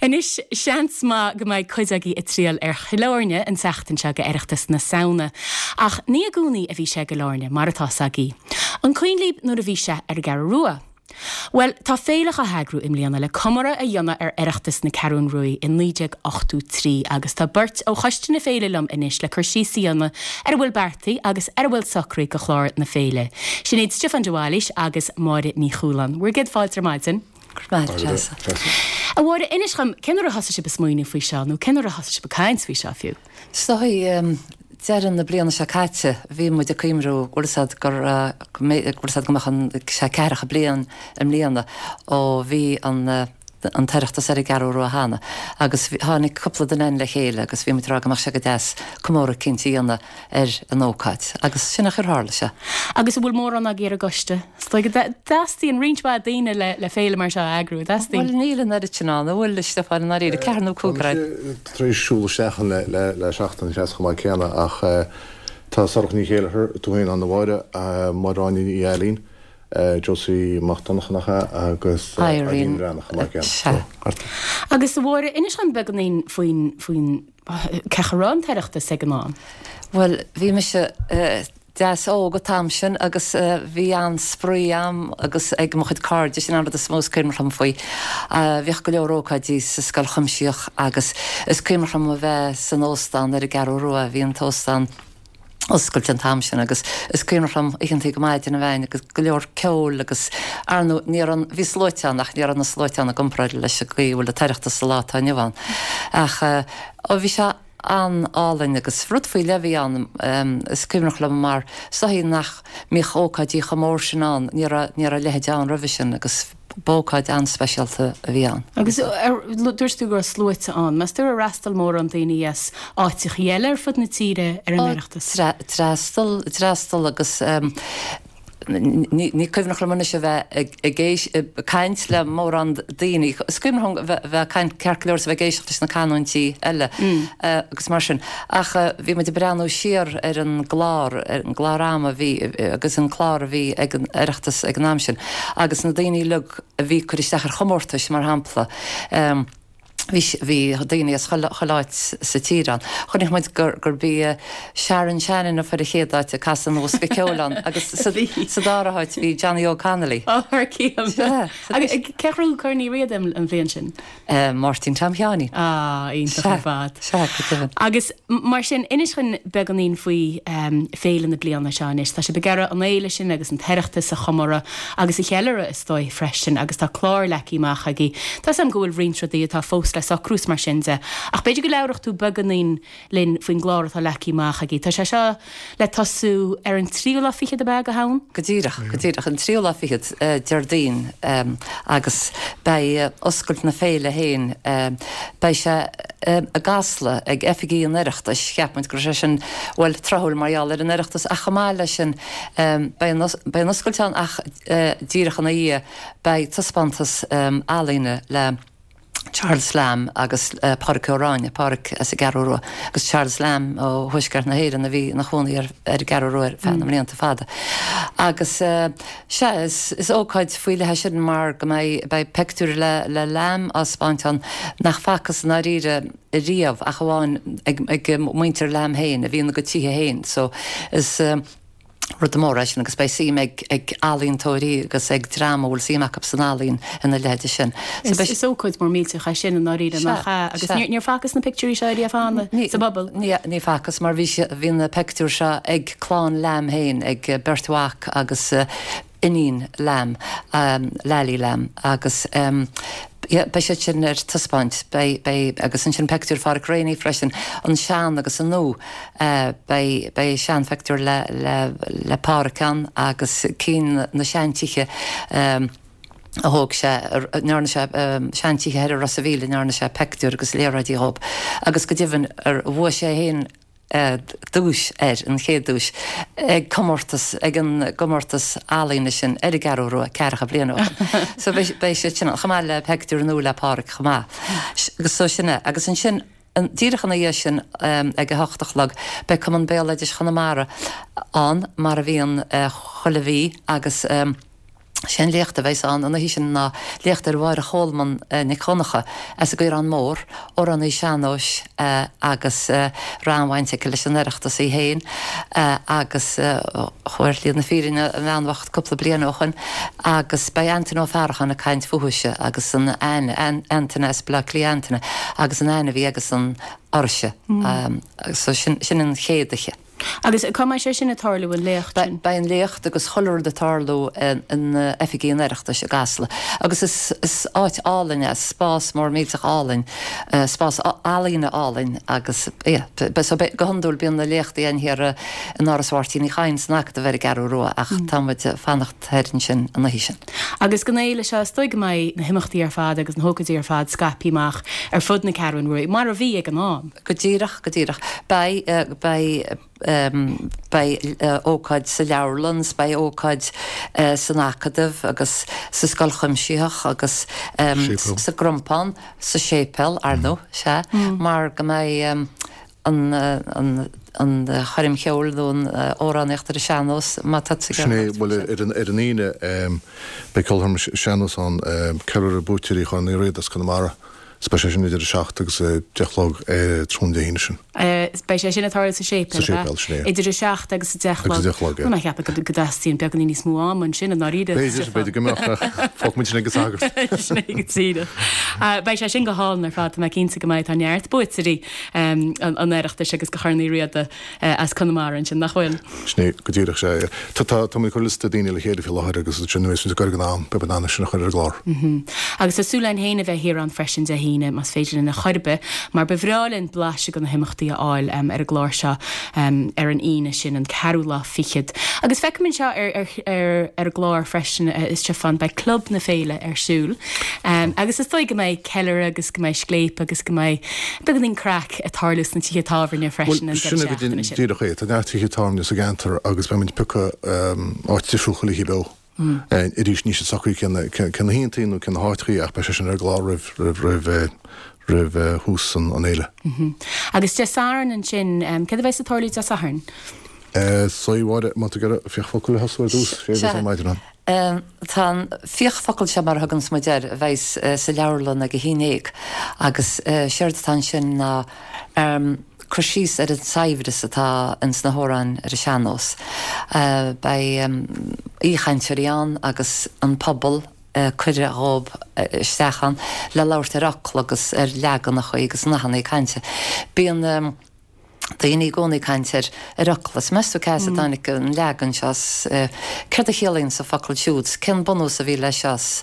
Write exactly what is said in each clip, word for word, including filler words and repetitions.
Anois seans maith go mbeidh cuid agaibh ag triall ar Chill Airne an tseachtain seo go Oireachtas na Samhna. Ach ní i gcónaí a bhí sé i gCill Airne mar atá a fhios agaibh. An cuimhin libh nuair a bhí sé ar an gCeathrú Rua. Well, tá féile á heagrú i mbliana le comóradh a dhéanamh ar Oireachtas na Ceathrún Rua i naoi déag ochtó trí agus tá beirt ó choiste na féile liom anois le cur síos a dhéanamh ar a bhfuil beartaithe agus ar a bhfuil socraithe go chlár na féile. Sin iad Stiofán de Bhailís agus Máire Ní Chualáin. Bhur gcéad fáilte ar maidin. A Mháire, inis dhom, cén uair a thosaigh sibh ag smaoineamh faoi seo nó cén uair a thosaigh sibh ag caint faoi seo fiú? Is dóigh, deireadh na bliana seo caite, bhí muid ag cuimhniú go bhfuil a fhios agat gur, go bhfuil a fhios agat go mbeadh an, sé ceathracha bliain i mbliana ó bhí an, an tOireachtas ar an gCeathrú Rua cheana agus tháinig cúpla duine againn le chéile agus bhí muid ag rá go mbeadh sé go deas comóradh eicínt a dhéanamh ar an ócáid agus sin an chaoi ar tharla sé. Agus an bhfuil mórán agaibh ar an gcoiste? Is dóigh go dteastaíonn roinnt mhaith daoine le le féile mar seo a eagrú, an dteastaíonn? Bhuel níl an oiread sin ann, an bhfuil, a Stiofáin, i ndáiríre, ceathrar nó cúigear againn. Tá mise tar éis siúl isteach ann le le seachtain seans chomh maith céanna ach tá Sorcha Ní Chéilleachair, tú féin ann a Mháire, Máire Áine Ní Ailín, Josie Mac Donncha nach ea agus Irene Breathnach chomh maith céanna. Sea. Agus a Mháire, inis dom beagáinín faoin faoin cén chaoi a raibh an tOireachtas ag an am. Bhuel, bhí mise deas óg an t-am sin agus bhí an-spraoi a'm agus ag mo chuid cairde, sin an rud is mó is cuimhneach liom faoi. Bhíodh go leor ócáidí sa Scoil Chuimsitheach agus is cuimhneach liom a bheith san óstán ar an gCeathrú Rua, bhí an t-óstán oscailte an t-am sin agus is cuimhneach liom oícheantaí go maidin a bheith ann agus go leor ceoil agus ar ndóigh ní raibh an, bhí sluaite ann ach ní raibh na sluaite ann i gcomparáid leis an gcaoi a bhfuil an tOireachtas sa lá atá inniu ann. Ach ó bhí sé an-álainn agus rud faoi leith a bhí ann, is cuimhneach liom mar is dóigh nach mbíodh ócáidí chomh mór sin ann, ní raibh, ní raibh a leithéid ann roimhe sin agus b'ócáid an-speisialta a bhí ann. Agus dúirt tú go raibh sluaite ann. Meas tú ar fhreastail mórán daoine as áiteachaí eile ar fud na tíre ar an Oireachtas? D'fhreastail, d'fhreastail agus ní cuimhneach liom anois a bheith ag ag caint le mórán daoine. Is cuimhneach liom a bheith ag caint ceart go leor is a bheith ag éisteacht leis na canúintí eile agus mar sin. Ach bhí muid ag breathnú siar ar an gclár, ar an gclár ama a bhí agus an clár a bhí ag an Oireachtas ag an am sin agus na daoine uilig a bhí ag cur isteach ar chomórtais, mar shampla, bhí, bhí daoine as chuile, chuile áit sa tír ann. Chonaic muid gur, gurb í Sharon Shannon a fuair an chéad áit ag casadh an bhosca ceoil ann agus sa, sa dara háit bhí Johnny Óg Connolly. Ó, thar cionn. Agus cé a ghnóthaigh Corn Uí Riada an bhliain sin? Máirtín Tom Sheáinín. Ah, iontach ar fad. Sea, go deimhin. Agus mar sin, inis dhúinn beagáinín faoi féile na bliana seo anois. Tá sibh ag iarraidh an fhéile sin agus an tOireachtas a chomóradh agus a cheiliúradh, is dóigh, freisin agus tá clár leagtha amach agaibh. Tá 'fhios a'm go bhfuil roinnt rudaí atá fós le socrú is mar sin de, ach b'fhéidir go labhródh tú beagáinín linn faoin gclár atá leagtha amach agaibh. Tá sé seo le tosú ar an tríú lá fichead ab ea, de Shamhain? Go díreach, go díreach. An tríú lá fichead, Déardaoin, agus beidh oscailt na féile féin, beidh sé i gCasla ag oifigí an Oireachtais. Cheap muid go raibh sé sin, bhuel, tráthúil mar gheall ar an Oireachtas ach chomh maith leis sin beidh an, beidh an oscailt ann ach díreach ina dhiaidh beidh taispeántas ealaíne le Charles Lamb agus Pádraic Ó Ráinne, Pádraic as an gCeathrú Rua agus Charles Lamb ó thuaisceart na hÉireann a bhí ina chónaí ar an gCeathrú Rua ar feadh na mblianta fada. Agus sea, is ócáid faoi leith é sin mar go mbeidh beidh peictiúir le le Lamb á spáint ann nach facthas i ndáiríre riamh ach amháin ag ag muintir Lamb féin a bhí ina gcuid tithe féin. So is. rud mór é sin agus beidh suim ag ag ealaíontóirí agus ag dream a bhfuil suim acu san ealaín ina leithéide sin. So beidh. Is ócáid mór millteach é sin i ndáiríre, nach ea? Agus níor níor facthas na pictiúirí seo ariamh cheana sa bpobal? Ní ní facthas mar bhí bhí na peictiúir seo ag clann Lamb féin, ag beirt mhac agus iníon Lamb, Lally Lamb, agus beidh siad sin ar taispeáint. Beidh, beidh, agus ansin peictiúir Pháraic Reaney freisin, an sean agus an nua. Beidh, beidh seanpheictiúir le, le, le Páraic ann agus cinn na seantithe a thóg sé, a ndearna sé, seantithe thoir i Ros a' Mhíl a ndearna sé peictiúir agus léaráidí dhób. Agus go deimhin, ar bhuaigh sé féin duais air, an chéad duais, ag comórtas, ag an gcomórtas ealaíne sin ar an gCeathrú Rua ceathracha bliain ó shin. So beidh, beidh siad sin ann, chomh maith le peictiúr nua le Páraic chomh maith. Agus so sin é. Agus ansin, díreach ina dhiaidh sin, ag a hocht a chlog, beidh Cumann Béaloidis Chonamara ann, mar a bhíonn chuile mhí, agus. Sé an léacht a bheas ann an oíche sin ná léacht ar Mháire Cholmáin Nic Dhonncha as an gCaorán Mór, amhránaí sean-nóis agus raibh an-bhaint aici leis an Oireachtas í féin agus chuaigh ar shlí na fírinne a bhean bhocht cúpla bliain ó shoin agus beidh Antaine Ó Faracháin ag caint fúithise agus an aithne, Antaine as Baile Átha Cliath Antaine agus an aithne a bhí aigesan uirthise. So sin an chéad oíche. Agus cá mbeidh sé sin ag tarlú, an léacht sin? Beidh an léacht agus chuile rud ag tarlú in oifigí an Oireachtais i gCasla. Agus is áit álainn é, spás mór millteach álainn, spás ealaíne álainn agus yeah, so go hiondúil bíonn na léachtaí ann thiar in Áras Mháirtín Uí Chadhain san Acadamh ar an gCeathrú Rua ach tá muid ag fanacht thoir ansin an oíche sin. Agus don fhéile seo, is dóigh go mbeidh na himeachtaí ar fad agus na hócáidí ar fad scaipthe amach ar fud na Ceathrún Rua, mar a bhí ag an am. Go díreach, go díreach. Beidh, beidh, beidh ócáid sa leabharlann, beidh ócáid san Acadamh agus sa Scoil Chuimsitheach agus sa gCrompán, sa séipéal, ar ndóigh, sea, mar go mbeidh an an an choirm cheoil nó an amhránaíocht ar an sean-nós má tá Sin é, bhuel ar an ar an Aoine beidh ceolchoirm sean-nós ann, ceiliúradh buaiteoirí Chorn Uí Riada as Conamara. Is beidh sé sin idir a seacht agus a deich a chlog tráthnóna Dé hAoine sin. Beidh sé sin ag tarlú sa séipéal, Sa séipéal, sin é. Idir a seacht agus a deich a chlog. Agus a deich a chlog, yeah. Bhuel, ná ceapaim go dteastaíonn beagáinín níos mó ama ansin, i ndáiríre. B'fhéidir, b'fhéidir go mbeadh, ach fágfaidh muid sin ag an sagart. Sin é go díreach. Beidh sé sin go hálainn ar fad, tá mé cinnte go mbeidh. Tá neart buaiteoirí an Oireachtais agus de Chorn Uí Riada as Conamara ansin, nach bhfuil? Sin é go díreach, sea. Tá, tá, tá muid ag cur liosta daoine le chéile faoi láthair agus ansin nuair a bheas muid ag goil ag an am, beidh muid in ann é sin a chur ar an gclár. Agus tá súil againn féin a bheith thiar ann freisin Dé hAoine, más féidir linn ar chor ar bith, mar ba bhreá linn blaiseadh de na himeachtaí a fháil ar an gclár seo ar an Aoine sin, an ceathrú lá fichead. Agus feicim anseo ar, ar, ar, ar an gclár freisin, a Stiofáin, beidh Club na Féile ar siúl. Agus is dóigh go mbeidh ceiliúradh agus go mbeidh scléip agus go mbeidh beagáinín craic ag tarlú sna tithe tábhairne freisin an deireadh seachtaine sin. Díreach é, tá neart tithe tábhairne sa gceantar agus beidh muid ag piocadh áit difriúil chuile oíche beo. Arís, níl sé socraithe cé na hoícheantaí nó cé na háiteachaí ach beidh sé sin ar an gclár roimh roimh roimh thús an fhéile. Agus Dé Sathairn ansin, céard a bheas ag tarlú Dé Sathairn? Sea, a Mháire, má tá tú ag iarraidh Fiach Focal a thosú ar dtús, sé a bheas ar maidin ann. Tá an Fiach Focal seo, mar a thuganns muid air, a bheas sa leabharlann ag a haon déag agus séard atá ansin ná cur síos ar an saibhreas atá ins na hamhráin ar an sean-nós. Beidh aoichainteoirí ann agus an pobal cuireadh dhóibh isteach ann le labhairt ar fhocla agus ar leaganacha agus nathanna cainte. Bíonn. daoine i gcónaí ag caint ar ar fhocla. 's meas tú cá as a dtáinig an leagan seo 's céard a chiallaíonn an focal siúd 's cén bunús a bhí leis seo 's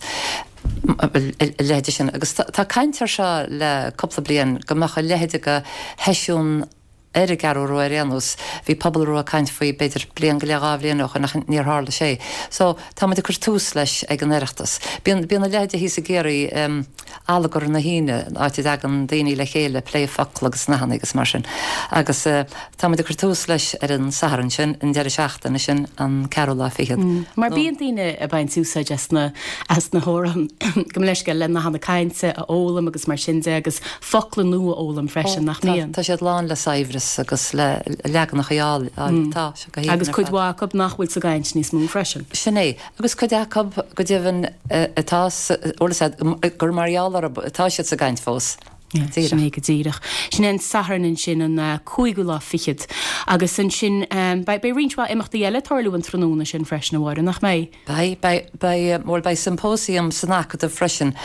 a leithéide sin. Agus tá caint air seo le cúpla bliain go mbeadh a leithéide de sheisiún ar an gCeathrú Rua ar aon nós. Bhí Pobal Rua ag caint faoi b'fhéidir bliain go leith dhá bhliain ó shoin ach níor tharla sé. So tá muid ag cur tús leis ag an Oireachtas. Bíonn bíonn a leithéide thíos i gCiarraí, Allagar na hAoine, áit a dtagann daoine le chéile ag plé focla agus nathanna agus mar sin. Agus tá muid ag cur tús leis ar an Satharn sin, an deireadh seachtaine sin, an ceathrú lá fichead. Mar bíonn daoine ag baint úsáid as na, as na hamhráin, gabh mo leithscéal, le nathanna cainte a fhoghlaim agus mar sin de agus focla nua a fhoghlaim freisin, nach mbíonn? Tá siad lán le saibhreas agus le leaganacha áille, tá sé go haoibhinn ar fad. Agus cuid mhaith acu nach bhfuil sa gcaint níos mó freisin. Sin é. Agus cuid acu, go deimhin, atá sa, bhfuil fhios a'd, gur mar gheall orthu atá siad sa gcaint fós. Díreach. Sin é go díreach. Sin é an Satharn ansin, an cúigiú lá fichead. Agus ansin, beidh, beidh roinnt mhaith imeachtaí eile ag tarlú an tráthnóna sin freisin, a Mháire, nach mbeidh? Beidh, beidh, beidh, bhuel, beidh symposium san Acadamh freisin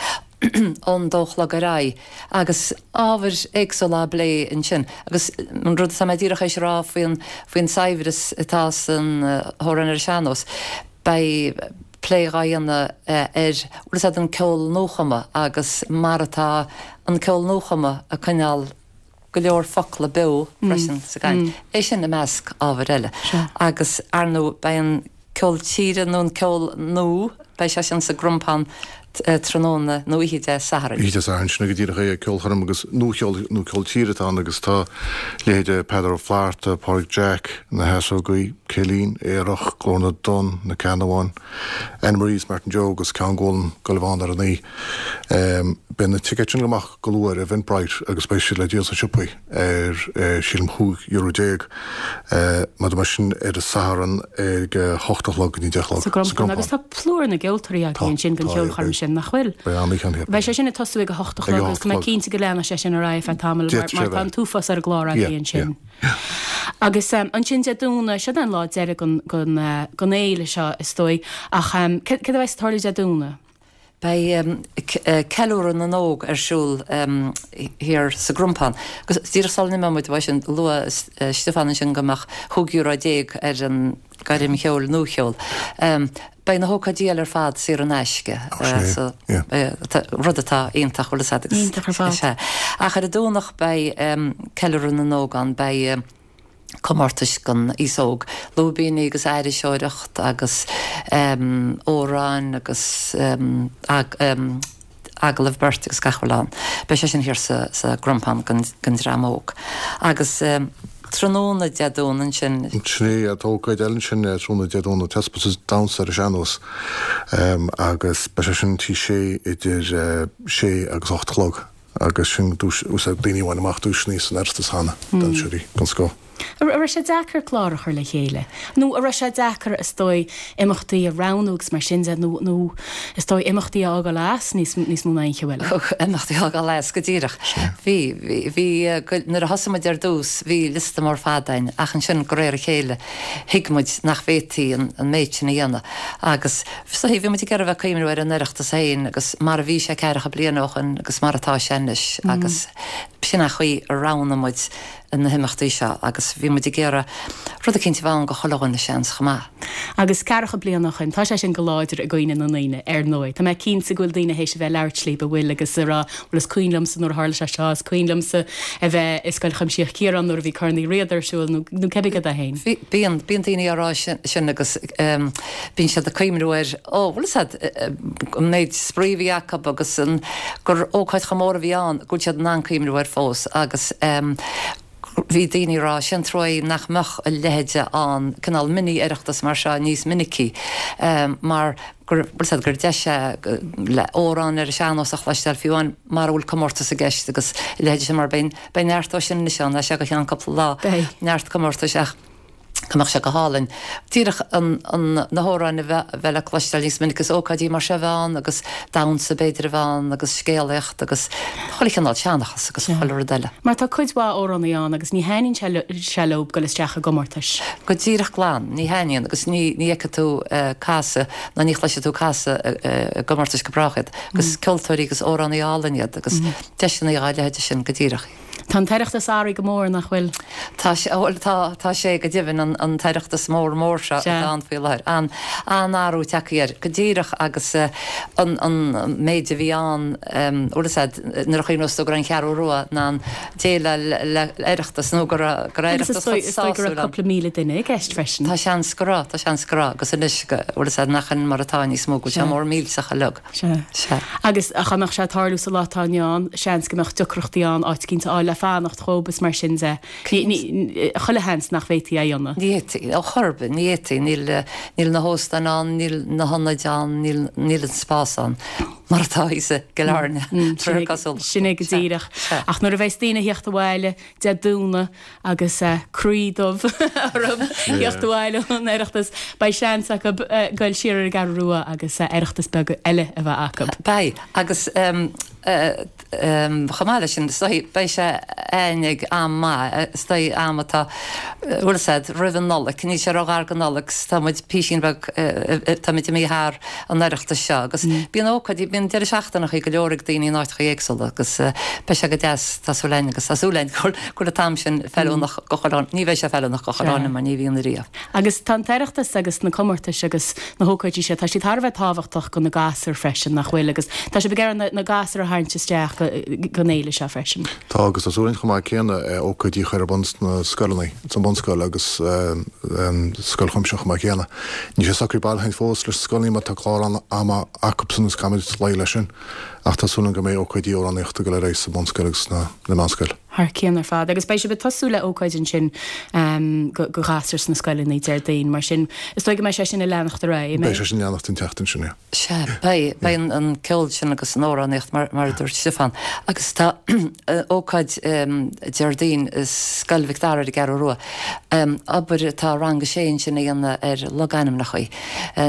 ón dó a chlog ar aghaidh agus ábhair éagsúla á bplé ansin. Agus an rud atá mé díreach théis a rá faoin, faoin saibhreas atá san amhrán ar an sean-nós, Beidh plé dhá dhéanamh ar, bhfuil fhios a'd, an ceol nuachumtha agus mar atá an ceol nuachumtha ag coinneáil go leor focla beo freisin sa gcaint. É sin i measc ábhair eile. Agus, ar ndóigh, beidh an ceol tíre nó an ceol nua, beidh sé sin sa gCrompán tráthnóna nó oíche Dé Sathairn. Oíche Dé Sathairn, sin é go díreach é, ceolchoirm agus nuacheol nó ceol tíre atá ann agus tá leithéide Peadar Ó Flatharta, Pádraig Jack, Na hEasógaí, Cillín, Aerach, Glór na dTonn, Na Ceannabháin, Anne Marie is Martin Joe agus Ceann Gólan Gullivan ar an oíche. Beidh na ticéid sin amach go luath ar Eventbrite agus beidh siad le díol sna siopaí ar sílim chúig euro déag. Maidir mar sin ar an Satharn ag a hocht a chlog go dtí deich a chlog. Sa gCrompán. Agus tá plúr na gceoltóirí againn ansin don cheolchoirm sin, nach bhfuil? Beidh an-oíche ann. Beidh sé sin ag tosú ag a hocht a chlog agus tá mé cinnte go leanfaidh sé sin ar aghaidh feadh tamaill mar tá an t-uafás ar an gclár againn ansin. Agus ansin Dé Domhnaigh, seo an lá deiridh den fhéile seo is dóigh, ach céard a bheas ag tarlú Dé Domhnaigh? Beidh Ceiliúradh na nÓg ar siúl thiar sa gCrompán. Agus díreach sula n-imeoidh muid uaidh sin, luaigh Stiofán ansin go mbeadh chúig euro déag ar an gcoirm cheoil, nuacheol. Beidh na hócáidí eile ar fad saor in aisce, so rud atá iontach, bhfuil fhios a'd. Iontach ar fad. Sea. Ach ar an Domhnach beidh Ceiliúradh na nÓg ann, beidh comórtais don aos óg, lúibíní agus aithriseoireacht agus amhráin agus agallamh beirte agus gach a bhfuil ann. Beidh sé sin thiar sa gCrompán don dream óg. Agus tráthnóna Dé Domhnaigh ansin. Sin é, tá ócáid eile ansin tráthnóna Dé Domhnaigh, taispeántas damhsa ar an sean-nós agus beidh sé sin Tigh Sé idir sé agus ocht a chlog. Agus sin duais, úsáid daoine a bhain amach duaiseanna san Oireachtas cheana, damhsóirí den scoth. An raibh sé deacair clár a chur le chéile? Nó an raibh sé deacair, is dóigh, imeachtaí a roghnú agus mar sin de, nó, nó is dóigh imeachtaí a fhágáil as níos, níos mó ná aon cheo eile? Imeachtaí a fhágáil as, go díreach. Bhí, bhí, bhí, nuair a thosaigh muid ar dtús, bhí liosta mór fada againn, ach ansin, de réir a chéile, thuig muid nach bhféadfaí an, an méid sin a dhéanamh. Agus so bhí muid ag iarraidh a bheith ag cuimhniú ar an Oireachtas féin agus mar a bhí sé ceathracha bliain ó shoin agus mar atá sé anois agus b'shin an chaoi a roghnaigh muid na himeachtaí seo agus bhí muid ag iarraidh rud eicínt a bheith ann go chuile dhuine seans chomh maith. Agus ceathracha bliain ó shoin, tá sé sin go láidir i gcuimhne na ndaoine, ar ndóigh. Tá mé cinnte go bhfuil daoine théis a bheith ag labhairt libh, a bhfuil, agus ag rá, bhuel is cuimhin liomsa nuair a tharla sé seo, is cuimhin liomsa a bheith i Scoil Chuimsitheach Chiaráin nuair a bhí Corn Uí Riada ar siúl nó nó cibé cad é féin. Bíonn, bíonn daoine á rá sin agus bíonn siad ag cuimhniú ar, ó, bhfuil fhios a'd, an méid spraoi a bhí acu agus an, gur ócáid chomh mór a bhí ann, go bhfuil siad in ann cuimhniú air fós agus bhí daoine ag rá, sé an trua é nach mbeadh a leithéide ann, cineál mini-Oireachtas mar seo níos minicí mar gur, bhfuil fhios a'd, gur deis é le amhráin ar an sean-nós a chloisteáil fiú amháin mara bhfuil comórtas i gceist agus a leithéide sin mar beidh, beidh neart dó sin anois ann as seo go ceann cúpla lá, neart comórtais ach go mbeadh sé go hálainn díreach an, an, na hamhráin a bheith, bheith le cloisteáil níos minice agus ócáidí mar seo a bheith ann agus damhsa b'fhéidir a bheith ann agus scéalaíocht agus chuile chineál seanchas agus chuile rud eile. Mar tá cuid mhaith amhránaí ann agus ní thaitníonn sé, sé leo dul isteach i gcomórtais. Go díreach glan, ní thaitníonn agus ní, ní fheicfidh tú casadh ná ní chloisfidh tú casadh i gcomórtais go brách iad agus ceoltóirí agus amhránaí álainn iad agus deiseanna dá leithéide sin go díreach. Tá an tOireachtas athraithe go mór, nach bhfuil? Tá sé, bhuel tá, tá sé go deimhin, an, an tOireachtas mór mór seo atá ann faoi láthair. An, an-athrú tagtha air, go díreach agus an, an méid a bhí ann, bhfuil fhios a'd, nuair a chuimhneos tú go raibh an Cheathrú Rua in ann déileáil le Oireachtas nó go raibh, go raibh Agus is Oireachtas dóigh, chomh is dóigh go raibh sásúil ann. cúpla míle duine i gceist freisin. Tá seans go raibh, tá seans go raibh agus anois go, bhfuil fhios a'd, nach in mar atá níos mó, go bhfuil sé Sea. mór millteach uilig. Sea. Sea. Agus dá mbeadh sé ag tarlú sa lá atá inniu ann, seans go mbeadh deacrachtaí ann áit eicínt a fháil le fanacht dhóibh is mar sin de. Ní, ní, chuile sheans nach bhféadfaí é a dhéanamh. Ní fhéadfaí, ar chor ar bith, ní fhéadfaí. Níl, níl na hóstáin ann, níl na hionaid ann, níl, níl an spás ann mar atá thíos i gCill Airne, Sin é, sin é go díreach. Ach nuair a bheas daoine a theacht abhaile Dé Domhnaigh agus croí dubh orthu theacht abhaile ón Oireachtas, beidh seans acu goil siar ar an gCeathrú Rua agus Oireachtas beag eile a bheith acu. Beidh, agus chomh maith leis sin, is dóigh, beidh sé a'ainn ag am maith, is dóigh, am atá, bhfuil fhios a'd, roimh an Nollaig, níl sé róghar don Nollaig, tá muid písín beag, tá muid imithe thar an Oireachtas seo agus bíonn ócáidí, bíonn deireadh seachtaineachaí go leor ag daoine in áiteachaí éagsúla agus beidh sé go deas, tá súil a'inn agus tá súil a'inn go bhfuil an t-am sin feiliúnach go chuile dhuine, ní bheidh sé feiliúnach go chuile dhuine mar ní bhíonn ariamh. Agus tá an tOireachtas agus na comórtais agus na hócáidí seo, tá siad thar a bheith tábhachtach go na gasúir freisin, nach bhfuil? Agus tá sibh ag iarraidh na gasúir a a tharraingt isteach gon fhéile seo freisin. Tá agus tá súil againn chomh maith céanna ócáidí a chur ar bun sna scoileanna, san bunscoil agus scoil chuimsitheach chomh maith céanna. Níl sé socraithe baileach fós leis na scoileanna mar tá clár ama acusan agus caithfimid luí leis sin ach tá súil againn go mbeidh ócáidí amhránaíochta ag dul ar aghaidh sa bhunscoil agus sna meánscoil. Thar cionn ar fad. Agus beidh sibh ag tosú le ócáid ansin go ghasúir sna scoileanna Déardaoin, mar sin is dóigh go mbeidh sé sin ag leanacht ar aghaidh, an mbeidh? Beidh sé sin ag leanacht an tseachtain sin, yeah. Sea, beidh, beidh an ceol sin agus an amhránaíocht mar a dúirt Stiofán. Agus tá ócáid Déardaoin i Scoil Mhic Dara ar an gCeathrú Rua, obair atá rang a sé ansin a dhéanamh ar logainmneacha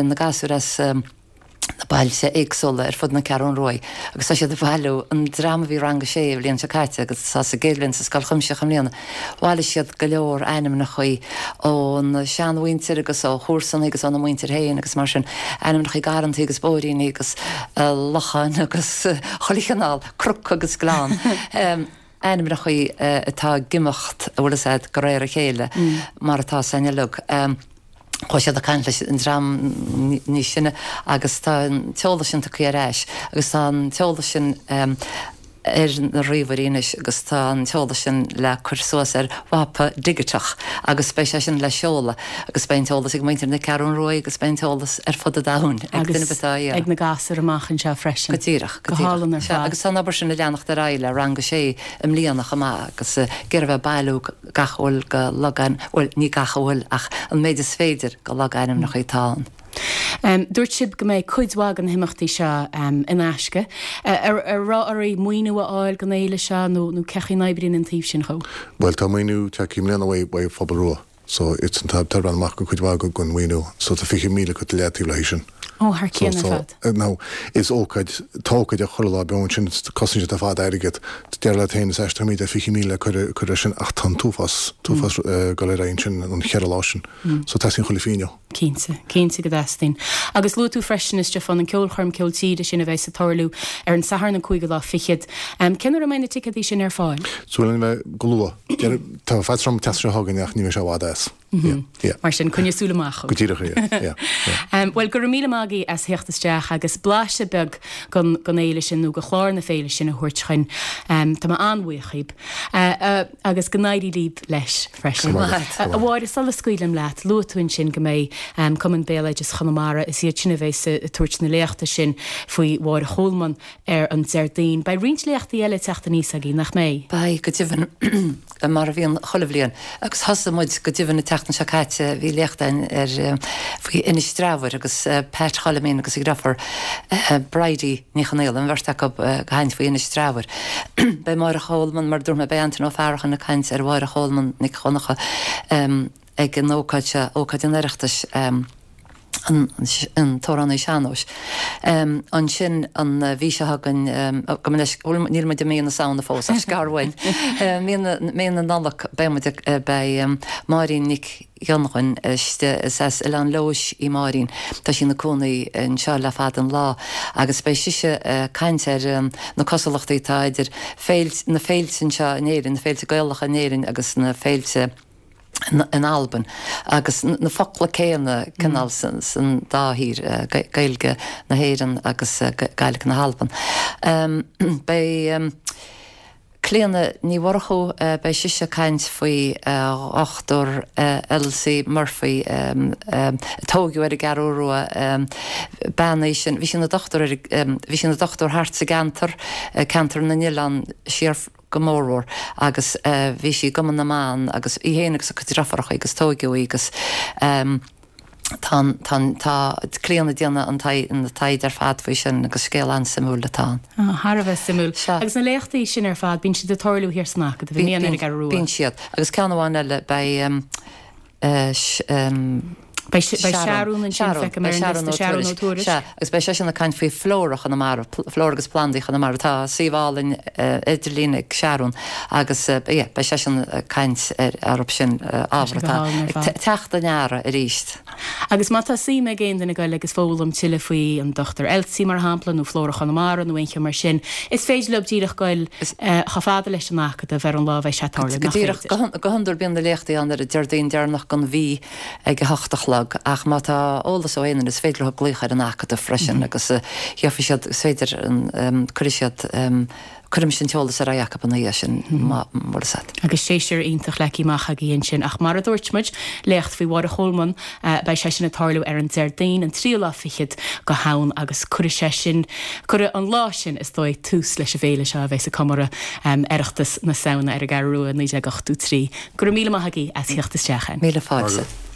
na gasúir as na bailte éagsúla ar fud na Ceathrún Ruaidh agus tá siad ag bailiú, an dream a bhí rang a sé an bhliain seo caite agus atá sa gcéad bhliain sa scoil chuimsitheach i mbliana, bhailigh siad go leor ainmneacha ón seanmhuintir agus ó chomharsana agus óna muintir féin agus mar sin, ainmneacha garrantaí agus bóithríní agus locháin agus chuile chineál, cnoc agus gleann. Ainmneacha atá ag imeacht, a bhfuil fhios a'd, de réir a chéile mar atá san uileag. Chuaigh siad ag caint leis an dream níos sine agus tá an t-eolas sin tugtha ar ais agus tá an t-eolas sin ar na ríomhairí anois agus tá an t-eolas sin le cur suas ar mhapa digiteach agus beidh sé sin le seoladh agus beidh an t-eolas ag muintir na Ceathrún Ruaidh agus beidh an t-eolas ar fud an domhain ag duine ar bith atá á iarraidh. Agus ag na gasúir amach anseo freisin. Go díreach, go Go hálainn ar díreach. Sea, fad. agus tá an obair sin ag leanacht ar aghaidh le rang a sé i mbliana chomh maith agus ag iarraidh bheith ag bailiú gach a bhfuil de logainm, bhuel, ní gach a bhfuil ach an méid is féidir de logainmneacha atá ann. Dúirt sibh go mbeidh cuid mhaith de na himeachtaí seo in aisce. Ar raibh oraibh maoiniú a fháil don fhéile seo nó nó cén chaoi a n-oibríonn an taobh sin dhó? Bhuel, tá maoiniú tagtha i mbliana uaidh Phobal Rua so it's an tá breathnú amach go cuid mhaith den mhaoiniú so tá fiche míle curtha le taobh léi sin. Ó, thar cionn ar fad. So, now, is ócáid, tá ócáid ag chuile lá beo ansin, cosnaíonn siad ar fad airgead. Deir leat féin, is aisteach táimid ar fiche míle le cur, cur air sin ach tá an t-uafás, t-uafás ag dul ar aghaidh ansin an cheithre lá sin. So teastaíonn chuile phingin. Cinnte, cinnte go dteastaíonn. Agus luaigh tú freisin, a Stiofáin, an ceolchoirm ceol tíre sin a bheas ag tarlú ar an Satharn an cúigiú lá fichead. Cén uair a mbeidh na ticéadaí sin ar fáil? Súil againn bheith go luath. Tá faitíos orm an tseachtain seo chugainn ach ní bheidh sé i bhfad as. Yeah, yeah. Mar sin, coinnigh súil amach. Go díreach, yeah, yeah, yeah. Bhuel, go raibh míle maith agaibh as theacht isteach agus blaiseadh beag den fhéile sin nó de chlár na féile sin a thabhairt chugainn. Tá mé an-bhuíoch dhíbh. Agus go n-éirí libh leis freisin. A Mháire, sula scaoilim leat, luaigh tú ansin go mbeidh Cumann Béaloideas Chonamara, is iad sin a bheas ag tabhairt na léachta sin faoi Mháire Cholmáin ar an Déardaoin. Beidh roinnt léachtaí eile ag teacht aníos agaibh, nach mbeidh? Beidh, go deimhin, mar a bhíonn chuile bhliain. Agus thosaigh muid, go deimhin, an tseachtain seo caite, bhí léacht againn ar, faoi Inis Treabhair agus Pat Choilimín agus a dhriofúr Bridie Ní Chonaola, an bheirt acu ag caint faoi Inis Treabhair. Beidh Máire Cholmán, mar a dúirt mé, beidh Antaine Ó Faracháin ag caint ar Mháire Cholmán Nic Dhonncha ag an ócáid seo, ócáid an Oireachtais. an t-amhránaí sean-nóis. Ansin an mhí seo chugainn, gabh mo leithscéal, níl muid i mí na Samhna fós ach scar uainn, mí na Nollag beidh muid ag, beidh Máirín Nic Dhonnabháin istigh, is as Oileán Leodhais í Máirín, tá sí ina cónaí anseo le fada an lá agus beidh sise ag caint ar na cosúlachtaí atá idir féilte, na féilte anseo in Éirinn, na féilte Gaelacha in Éirinn agus na féilte in Albain agus na focla céanna cineál san dá thír, Gaeilge na hÉireann agus Gaeilge na hAlban. Beidh Clíona Ní Mhurchú, beidh sise ag caint faoi Dhochtúir Elsie Murphy a tógadh ar an gCeathrú Rua, bean í sin, bhí sí ina dochtúir, bhí sí ina dochtúir thart sa gceantar, ceantar na nOileán siar go mórmhór agus bhí sí i gCumann na mBan agus í féin agus a cuid deirfiúracha agus tóigeadh í agus tá an, tá an, tá Clíona ag déanamh an taighde ar fad faoi sin agus scéal an-suimiúil atá ann. Á, thar a bheith suimiúil. Sea. Agus na léachtaí sin ar fad, bíonn siad ag tarlú thiar san Acadamh i mbliana ar an gCeathrú Rua. Bíonn siad. Agus ceann amháin eile, beidh. Beidh Searún ansin, feicim ar an liosta, Searún Ó Tuairisg. Sea, agus beidh seisean ag caint faoi flóra Chonamara, flóra agus plandaí Chonamara. Tá suíomh álainn idirlín ag Searún agus yeah, beidh seisean ag caint ar orthu sin, ábhar atá ag teacht i ndeara arís. Agus má tá suim ag aon duine goil agus foghlaim tuilleadh faoi an Dochtúir Elsie mar shampla nó Flóra Chonamara nó aon cheann mar sin, is féidir leo díreach goil chomh fada leis an Acadamh ar an lá a bheidh sé ag tarlú, Go nach díreach, féidir? go hiondúil bíonn na léachtaí ann ar an Déardaoin deireanach den mhí ag a hocht a chlog ach má tá eolas ó aon duine is féidir leo glaoch ar an Acadamh freisin agus gheobhaidh siad, is féidir, cuirfidh siad, cuirfimid an t-eolas ar aghaidh acu ina dhiaidh sin má bhfuil fhios agat. Agus séasúr iontach leagtha amach agaibh ansin ach mar a dúirt muid, léacht faoi Mháire Cholmáin, beidh sé sin ag tarlú ar an Déardaoin an tríú lá fichead go hAmhan agus cuirfidh sé sin, cuirfidh an lá sin is dóigh tús leis an bhféile seo a bheas ag comóradh Oireachtas na Samhna ar an gCeathrú Rua naoi déag ochtó trí. Go raibh míle maith agaibh as theacht isteach. Míle fáilte.